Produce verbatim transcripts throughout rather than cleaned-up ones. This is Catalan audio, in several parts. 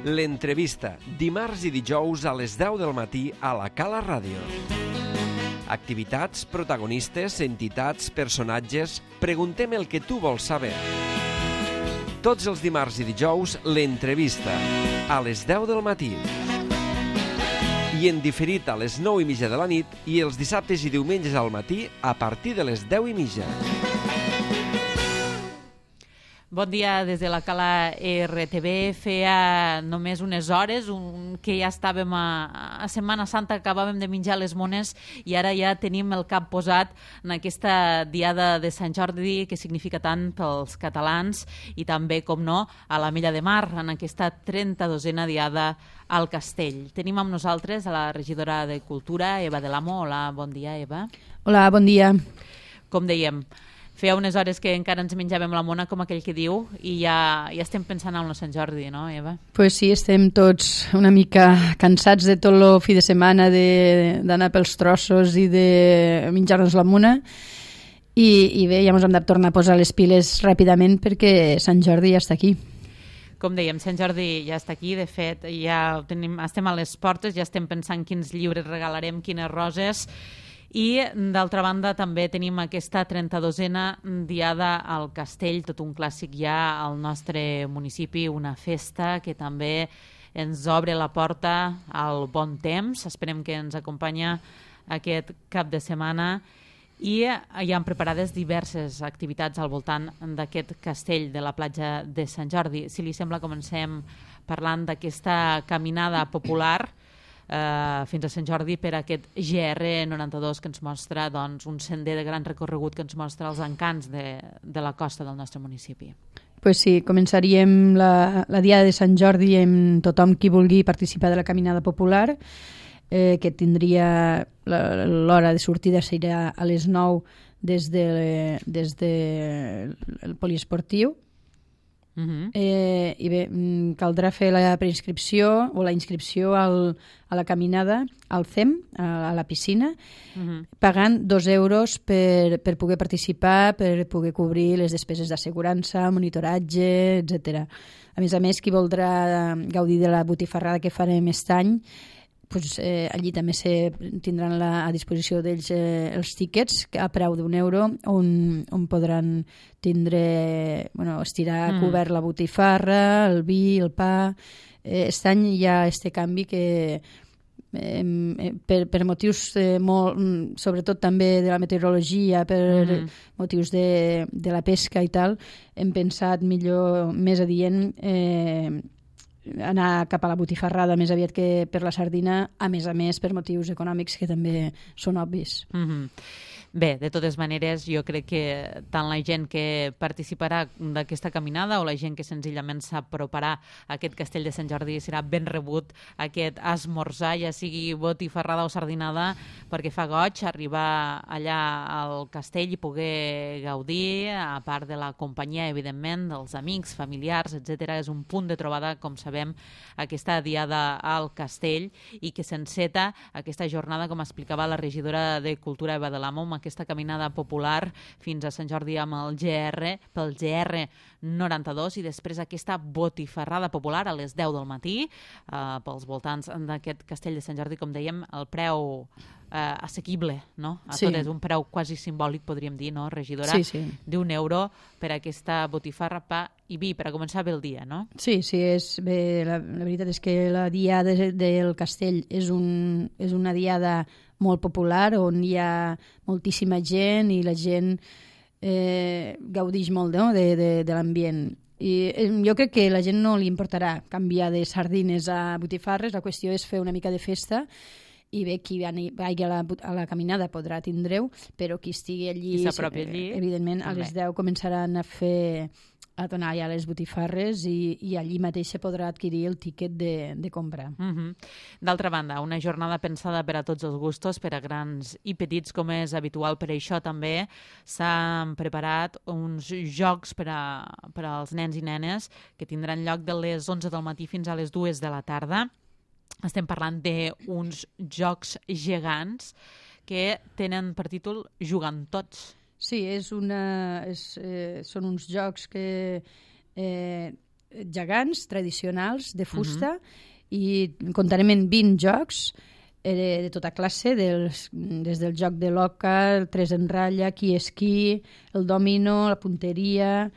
L'entrevista, dimarts i dijous a les deu del matí a la Cala Ràdio. Activitats, protagonistes, entitats, personatges... Preguntem el que tu vols saber. Tots els dimarts i dijous, l'entrevista, a les deu del matí. I en diferit a les nou i mitja de la nit i els dissabtes i diumenges al matí a partir de les deu i mitja. Bon dia des de la Cala R T V. Feia només unes hores un, que ja estàvem a, a Setmana Santa, acabàvem de menjar les mones i ara ja tenim el cap posat en aquesta diada de Sant Jordi que significa tant pels catalans i també, com no, a l'Ametlla de Mar, en aquesta trenta-dosena diada al Castell. Tenim amb nosaltres a la regidora de Cultura, Eva de l'Amo. Hola, bon dia, Eva. Hola, bon dia. Com dèiem, feia unes hores que encara ens menjàvem la mona, com aquell que diu, i ja, ja estem pensant en el Sant Jordi, no, Eva? Pues sí, estem tots una mica cansats de tot el fi de setmana d'anar pels trossos i de menjar-nos la mona. I, i bé, ja ens hem de tornar a posar les piles ràpidament perquè Sant Jordi ja està aquí. Com dèiem, Sant Jordi ja està aquí. De fet, ja tenim, estem a les portes, ja estem pensant quins llibres regalarem, quines roses. I, d'altra banda, també tenim aquesta trenta-dosena diada al Castell, tot un clàssic ja al nostre municipi, una festa que també ens obre la porta al bon temps. Esperem que ens acompanya aquest cap de setmana i hi han preparades diverses activitats al voltant d'aquest castell de la platja de Sant Jordi. Si li sembla, comencem parlant d'aquesta caminada popular Uh, fins a Sant Jordi per aquest G R noranta-dos que ens mostra, doncs, un sender de gran recorregut que ens mostra els encants de, de la costa del nostre municipi. Pues sí, començaríem la, la diada de Sant Jordi amb tothom qui vulgui participar de la caminada popular, eh, que tindria l'hora de sortida serà a les nou des de, des de el poliesportiu. Uh-huh. Eh, i bé, caldrà fer la preinscripció o la inscripció al, a la caminada al C E M, a, a la piscina, uh-huh. pagant dos euros per, per poder participar, per poder cobrir les despeses d'assegurança, monitoratge, etcètera. A més a més, qui voldrà gaudir de la botifarrada que farem aquest any, pues, eh, allí també se tindran la, a disposició d'ells eh, els tíquets a preu d'un euro on, on podran tindre, bueno, estirar mm. cobert la botifarra, el vi, el pa. Eh, aquest any hi ha este canvi que eh, per, per motius eh, molt, sobretot també de la meteorologia, per mm. motius de, de la pesca i tal, hem pensat millor, més adient, eh, anar cap a la botifarrada més aviat que per la sardina, a més a més per motius econòmics que també són obvis. Mm-hmm. Bé, de totes maneres, jo crec que tant la gent que participarà d'aquesta caminada o la gent que senzillament s'aproparà a aquest castell de Sant Jordi serà ben rebut aquest esmorzar, ja sigui botifarrada o sardinada, perquè fa goig arribar allà al castell i poder gaudir, a part de la companyia, evidentment, dels amics, familiars, etcètera. És un punt de trobada, com sabem, aquesta diada al castell i que s'enceta aquesta jornada, com explicava la regidora de Cultura, Eva de l'Amo, amb aquesta caminada popular fins a Sant Jordi amb el G R, pel G R noranta-dos, i després aquesta botifarrada popular a les deu del matí, eh, pels voltants d'aquest castell de Sant Jordi, com dèiem, el preu eh, assequible, no? A sí. tot és un preu quasi simbòlic, podríem dir, no, regidora? Sí, sí. D'un euro per aquesta botifarra, pa i vi, per a començar bé el dia, no? Sí, sí, és bé, la, la veritat és que la diada del castell és, un, és una diada molt popular, on hi ha moltíssima gent i la gent eh, gaudix molt, no?, de, de, de l'ambient. I eh, jo crec que la gent no li importarà canviar de sardines a botifarres, la qüestió és fer una mica de festa i bé, qui vagi a la, a la caminada podrà tindre-ho, però qui estigui allí, qui s'apropi allí, evidentment, a les deu començaran a fer a donar ja les botifarres i, i allí mateix se podrà adquirir el tíquet de, de compra. Mm-hmm. D'altra banda, una jornada pensada per a tots els gustos, per a grans i petits, com és habitual. Per això també s'han preparat uns jocs per, a, per als nens i nenes que tindran lloc de les onze del matí fins a les dues de la tarda. Estem parlant d'uns jocs gegants que tenen per títol Jugant Tots. Sí, és una, és, eh, són uns jocs que eh, gegants tradicionals de fusta, uh-huh. i comptarem en vint jocs eh, de tota classe, dels, des del joc de l'oca, el tres en ratlla, qui és qui, el domino, la punteria,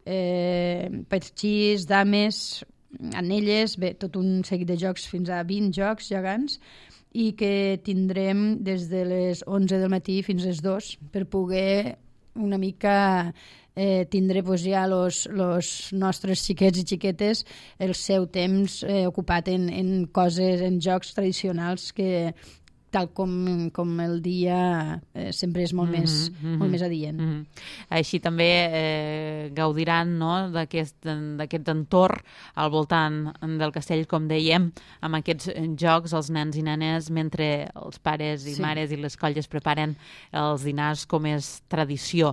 eh, petxís, dames, anelles, bé, tot un seguit de jocs, fins a vint jocs gegants, i que tindrem des de les onze del matí fins a les dos per poder una mica eh, tindre pues, ja els nostres xiquets i xiquetes el seu temps eh, ocupat en, en coses, en jocs tradicionals que tal com, com el dia eh, sempre és molt, mm-hmm, més, mm-hmm. molt més adient. Mm-hmm. Així també eh, gaudiran, no?, d'aquest entorn al voltant del castell, com dèiem, amb aquests jocs, els nens i nenes, mentre els pares i sí. mares i les colles preparen els dinars com és tradició.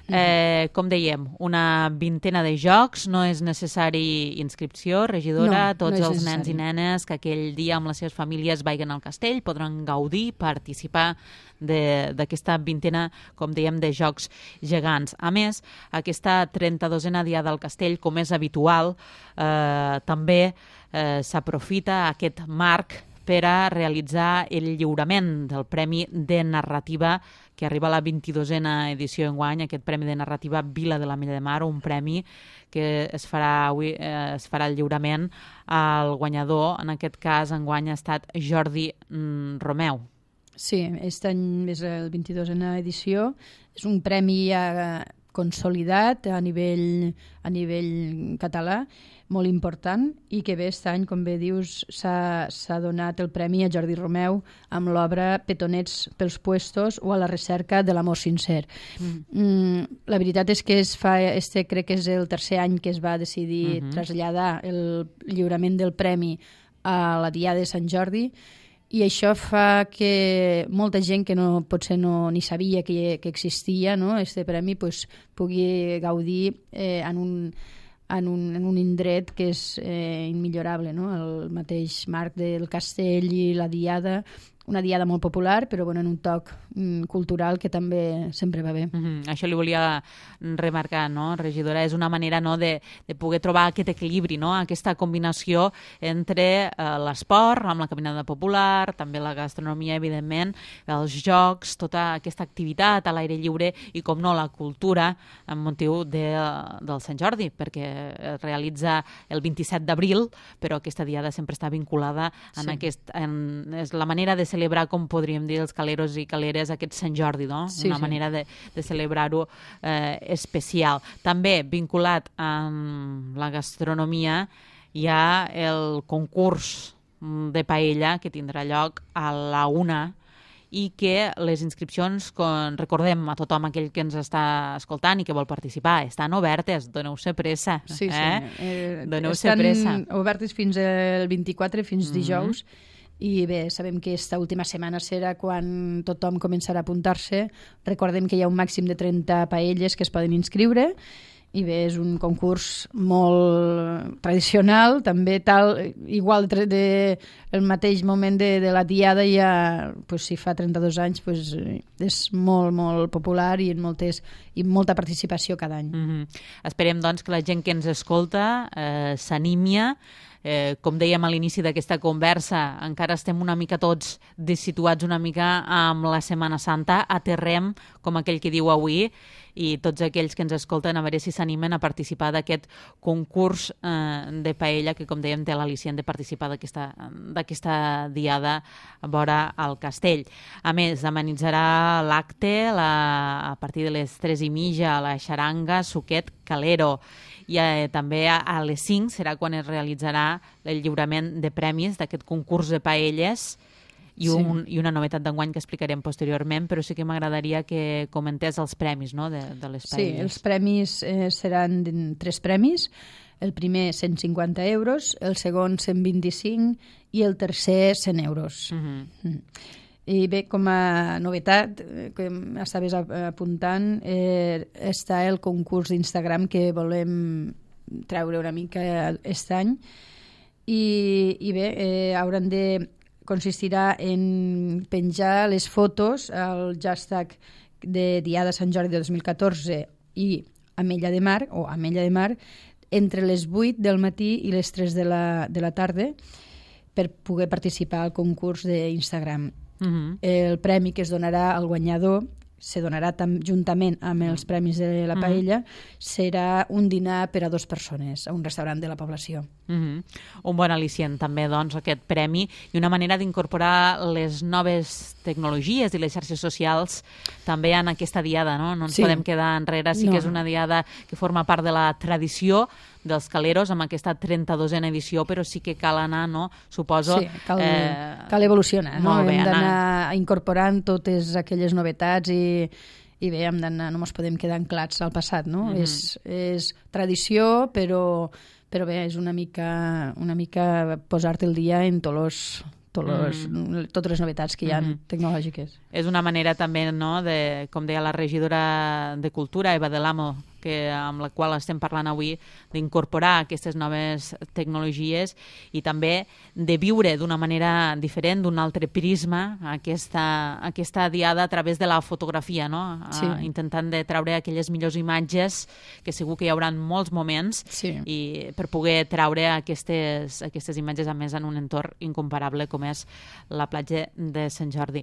Eh, com dèiem, una vintena de jocs, no és necessari inscripció, regidora, no, tots no els necessari. Nens i nenes que aquell dia amb les seves famílies vagin al castell podran gaudir, participar d'aquesta vintena, com dèiem, de jocs gegants. A més, aquesta trenta-dosena diada al castell, com és habitual, eh, també eh, s'aprofita aquest marc per a realitzar el lliurament del Premi de Narrativa que arriba a la vint-i-dosena edició enguany, aquest Premi de Narrativa Vila de l'Ametlla de Mar, un premi que es farà avui, eh, es farà el lliurament al guanyador. En aquest cas, enguany ha estat Jordi mm, Romeu. Sí, aquest any és el vint-i-dosena edició. És un premi ja consolidat a nivell, a nivell català, molt important, i que bé, aquest any, com bé dius, s'ha donat el premi a Jordi Romeu amb l'obra Petonets pels puestos o a la recerca de l'amor sincer. Mm. Mm, la veritat és que es fa, este crec que és el tercer any que es va decidir mm-hmm. traslladar el lliurament del premi a la Diada de Sant Jordi, i això fa que molta gent que no, potser no, ni sabia que, que existia, no, este premi, pues, pugui gaudir eh, en un En un, en un indret que és eh, immillorable, no? El mateix marc del castell i la diada, una diada molt popular, però bueno, en un toc mm, cultural que també sempre va bé. Mm-hmm. Això li volia remarcar, no, regidora? És una manera, no, de, de poder trobar aquest equilibri, no? Aquesta combinació entre eh, l'esport, amb la caminada popular, també la gastronomia, evidentment, els jocs, tota aquesta activitat a l'aire lliure i, com no, la cultura amb motiu de, del Sant Jordi, perquè es realitza el vint-i-set d'abril, però aquesta diada sempre està vinculada en sí. aquest... En, és la manera de celebrar, com podríem dir, els caleros i caleres aquest Sant Jordi, no? Sí, una sí. manera de, de celebrar-ho eh, especial. També vinculat amb la gastronomia hi ha el concurs de paella que tindrà lloc a la una i que les inscripcions, com recordem a tothom aquell que ens està escoltant i que vol participar, estan obertes, doneu-se pressa. Sí, sí. Eh? Eh, doneu-se pressa. Estan obertes fins al vint-i-quatre, fins mm-hmm. dijous, i bé, sabem que aquesta última setmana serà quan tothom començarà a apuntar-se. Recordem que hi ha un màxim de trenta paelles que es poden inscriure, i bé, és un concurs molt tradicional, també tal, igual de, de el mateix moment de, de la diada ja, pues, si fa trenta-dos anys, pues, és molt, molt popular i en moltes, i molta participació cada any. Mm-hmm. Esperem, doncs, que la gent que ens escolta eh, s'anímia. Eh, com dèiem a l'inici d'aquesta conversa, encara estem una mica tots dessituats una mica amb la Setmana Santa, aterrem, com aquell que diu avui, i tots aquells que ens escolten a veure si s'animen a participar d'aquest concurs eh, de paella que, com dèiem, té l'al·licient de participar d'aquesta diada vora al castell. A més, amenitzarà l'acte a partir de les tres i mitja a la xaranga Suquet Calero. I eh, també a, a les cinc serà quan es realitzarà el lliurament de premis d'aquest concurs de paelles i, un, sí. i una novetat d'enguany que explicarem posteriorment, però sí que m'agradaria que comentés els premis, no, de, de les paelles. Sí, els premis eh, seran tres premis. El primer cent cinquanta euros, el segon cent vint-i-cinc i el tercer cent euros. Uh-huh. Mm. I bé, com a novetat, que estaves apuntant, eh, està el concurs d'Instagram que volem treure una mica aquest any. I, i bé, eh, hauran de consistirà en penjar les fotos al hashtag de Diada Sant Jordi de dos mil catorze i Ametlla de Mar, o Ametlla de Mar, entre les vuit del matí i les tres de la, de la tarda per poder participar al concurs d'Instagram. Uh-huh. El premi que es donarà al guanyador se donarà tam, juntament amb els premis de la paella, uh-huh. serà un dinar per a dues persones a un restaurant de la població. Uh-huh. Un bon al·licient també, doncs, aquest premi, i una manera d'incorporar les noves tecnologies i les xarxes socials també en aquesta diada, no? No ens sí. podem quedar enrere, sí no. que és una diada que forma part de la tradició dels Caleros amb aquesta trenta-dosena edició, però sí que cal anar, no? Suposo... Sí, cal, eh... cal evolucionar, no? Bé, hem d'anar anar... incorporant totes aquelles novetats i, i bé, hem d'anar, no ens podem quedar anclats al passat, no? Mm-hmm. És, és tradició, però, però bé, és una mica, una mica posar-te el dia en tots els Los, mm. totes les novetats que hi ha mm-hmm. tecnològiques. És una manera també, no, de, com deia la regidora de Cultura, Eva de l'Amo, que, amb la qual estem parlant avui, d'incorporar aquestes noves tecnologies i també de viure d'una manera diferent, d'un altre prisma, aquesta, aquesta diada a través de la fotografia, no? Sí. Uh, intentant de treure aquelles millors imatges, que segur que hi haurà molts moments, sí. i per poder treure aquestes, aquestes imatges, a més, en un entorn incomparable com és la platja de Sant Jordi.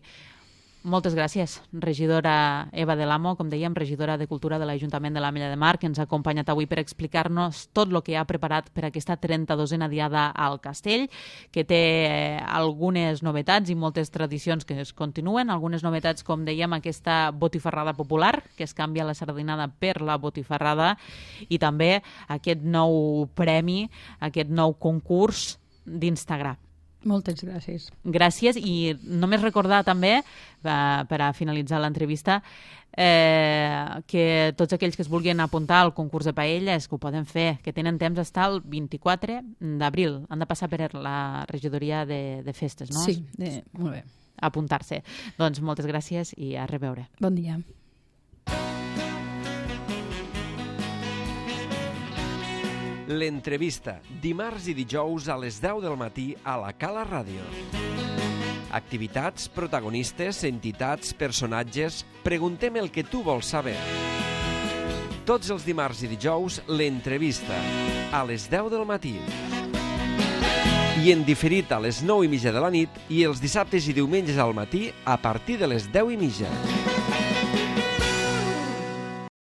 Moltes gràcies, regidora Eva de l'Amo, com dèiem, regidora de Cultura de l'Ajuntament de l'Ametlla de Mar, que ens ha acompanyat avui per explicar-nos tot el que ha preparat per aquesta trenta-dosena diada al Castell, que té algunes novetats i moltes tradicions que es continuen, algunes novetats, com dèiem, aquesta botifarrada popular, que es canvia la sardinada per la botifarrada, i també aquest nou premi, aquest nou concurs d'Instagram. Moltes gràcies. Gràcies, i només recordar també, per a finalitzar l'entrevista, eh, que tots aquells que es vulguin apuntar al concurs de paelles, que ho poden fer, que tenen temps fins al vint-i-quatre d'abril. Han de passar per la regidoria de, de festes, no? Sí, de, molt bé. Apuntar-se. Doncs moltes gràcies i a reveure. Bon dia. L'entrevista, dimarts i dijous a les deu del matí a la Cala Ràdio. Activitats, protagonistes, entitats, personatges... Preguntem el que tu vols saber. Tots els dimarts i dijous, l'entrevista, a les deu del matí. I en diferit a les nou i mitja de la nit i els dissabtes i diumenges al matí a partir de les deu i mitja.